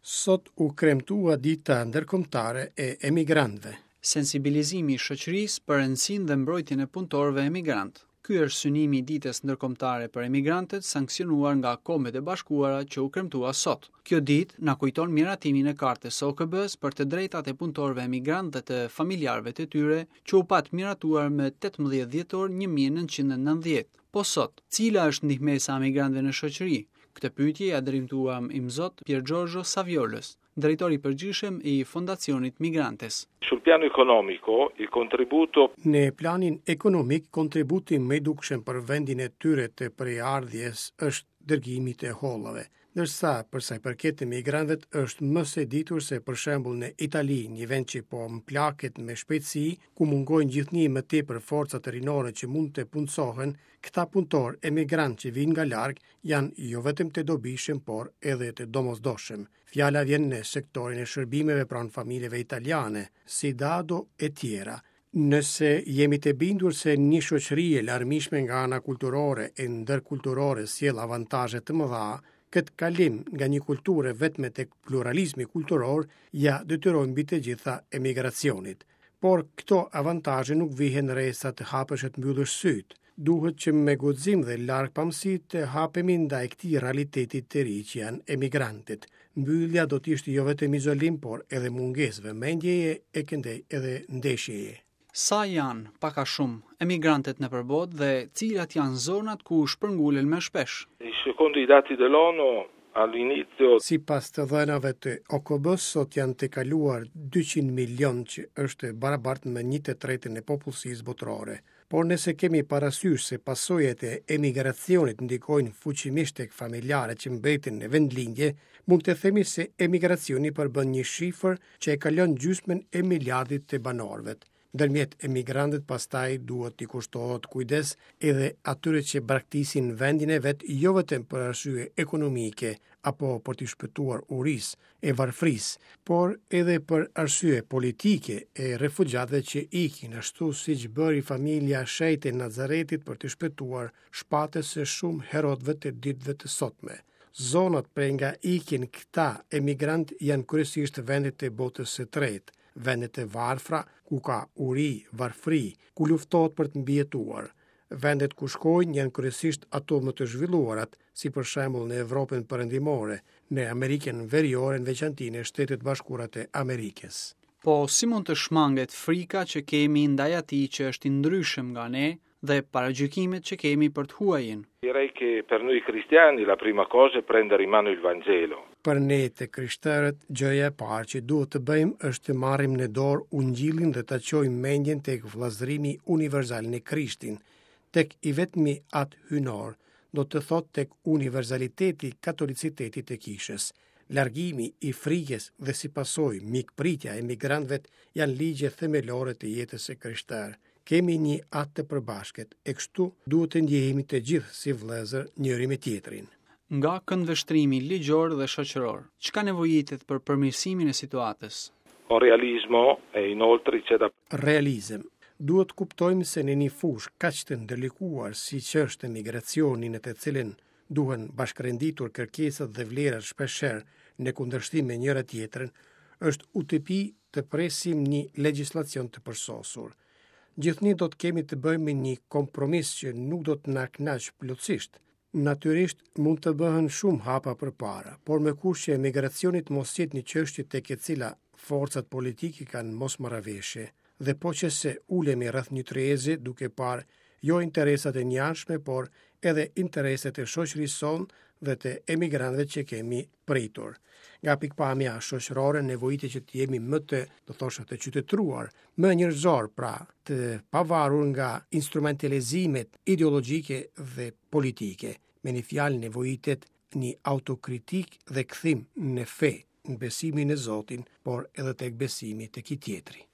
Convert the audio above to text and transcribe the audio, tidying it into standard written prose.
Sot u kremtua Dita Ndërkombëtare e Emigrantëve. Sensibilizimi i shoqërisë për rëndësinë dhe mbrojtjen e punëtorëve emigrantë. Ky është synimi i Ditës Ndërkombëtare për Emigrantët sanksionuar nga Kombet e Bashkuara që u kremtua sot. Kjo ditë na kujton miratimin e Kartës së OKB-së për të drejtat e punëtorëve emigrantë dhe të familjarëve të tyre që u pat miratuar më 18 dhjetor 1990. Po sot, cila është ndihmesa e emigrantëve në shoqëri? Këtë pyetje ia drejtuam Imzot Pier Giorgio Saviolës, drejtor i përgjithshëm i Fondacionit Migrantes. Sul piano economico, il contributo Në planin ekonomik, kontributi më i dukshëm për vendin e tyre të prejardhjes është dërgimi i të hollave. Ndërsa, për sa i përket emigrantëve, është më se ditur se për shembull në Itali, një vend që po mplaket me shpejtësi, ku mungojnë gjithnjë më tepër forcat rinore që mund të punësohen, këta punëtorë emigrantë që vijnë nga larg janë jo vetëm të dobishëm, por edhe të domosdoshëm. Fjala vjen në sektorin e shërbimeve pranë familjeve italiane, si dado e tjera. Nëse jemi të bindur se një shoqëri e larmishme nga ana kulturore e ndërkulturore sjell avantazhe të mëdha, këtë kalim nga një kulturë e vetme tek pluralizmi kulturor ia detyrojmë mbi të gjitha emigracionit. Por këto avantazhe nuk vihen re sa të hapësh e të mbyllësh sytë. Duhet që me guxim dhe largpamësi të hapemi ndaj këtij realiteti të ri që janë emigrantët. Mbyllja do të ishte jo vetëm izolim, por edhe mungesë vëmendjeje e këndej edhe ndeshjeje. Sa janë, pak a shumë, emigrantët nëpër botë dhe cilat janë zonat ku shpërngulen më shpesh? Secondo i dati dell'ONU, all'inizio Sipas të dhënave të OKB-së, sot janë tejkaluar 200 milionë që është e barabartë me një të tretën e popullsisë botërore. Por nëse kemi parasysh se pasojat e emigracionit ndikojnë fuqimisht tek familjarët që mbeten në vendlindje, mund të themi se emigracioni përbën një shifër që e kalon gjysmën e miliardit të banorëve. Ndërmjet emigrantët pastaj duhet t'i kushtohet kujdes edhe atyre që braktisin vendin e vet jo vetëm për arsye ekonomike apo për t'i shpëtuar urisë e varfërisë, por edhe për arsye politike e refugjatëve që ikin, ashtu siç bëri familja e shenjtë e Nazaretit për t'i shpëtuar shpatës së shumë Herodëve të ditëve të sotme. Zonat prej nga ikin këta emigrantë janë kryesisht vendet e botës së tretë, vendet e varfra ku ka uri, varfëri, ku luftohet për të mbijetuar. Vendet ku shkojnë janë kryesisht ato më të zhvilluarat, si për shembull në Evropën Perëndimore, në Amerikën Veriore në veçanti në Shtetet e Bashkuara të Amerikës. Po si mund të shmanget frika që kemi ndaj atij që është i ndryshëm nga ne dhe paragjykimet që kemi për të huajin? Direi che per noi cristiani la prima cosa è prendere in mano il Vangelo. Për ne të krishterët, gjëja e parë që duhet të bëjmë është të marrim në dorë Ungjillin dhe ta çojmë mendjen tek vëllazërimi universal në Krishtin, tek i vetmi Atë Hyjnor, do të thotë tek universaliteti i katolicitetit të Kishës. Largimi i frikës dhe si pasojë mikpritja e emigrantëve janë ligje themelore të jetës së krishterë. Kemi një atë të përbashkët, e kështu duhet të ndjehemi të gjithë si vëllezër njëri me tjetrin. Nga këndvështrimi ligjor dhe shoqëror, çka nevojitet për përmirësimin e situatës? Con realismo e inoltre c'è da. Realizëm. Duhet të kuptojmë se në një fushë kaq të ndërlikuar siç është emigracioni në të cilën duhen bashkërenditur kërkesat dhe vlerat shpeshherë në kundërshtim me njëra-tjetrën, është utopi të presim një legjislacion të përsosur. Gjithnjë do të kemi të bëjmë me një kompromis që nuk do të na kënaqë plotësisht. Natyrisht, mund të bëhen shumë hapa përpara, por me kusht që emigracioni të mos jetë një çështje tek e cila forcat politike kanë mosmarrëveshje, dhe po qe se ulemi rreth një tryeze duke parë jo interesat e njëanshme, por edhe interesat e shoqërisë sonë dhe të emigrantëve që kemi pritur. Nga pikëpamja shoqërore nevojitet që të jemi më të, do thosha, të qytetëruar, më njerëzor, pra të pavarur nga instrumentalizimet ideologjike dhe politike. Me një fjalë nevojitet një autokritikë dhe kthim në fe, në besimin në Zotin, por edhe tek besimi tek i tjetri.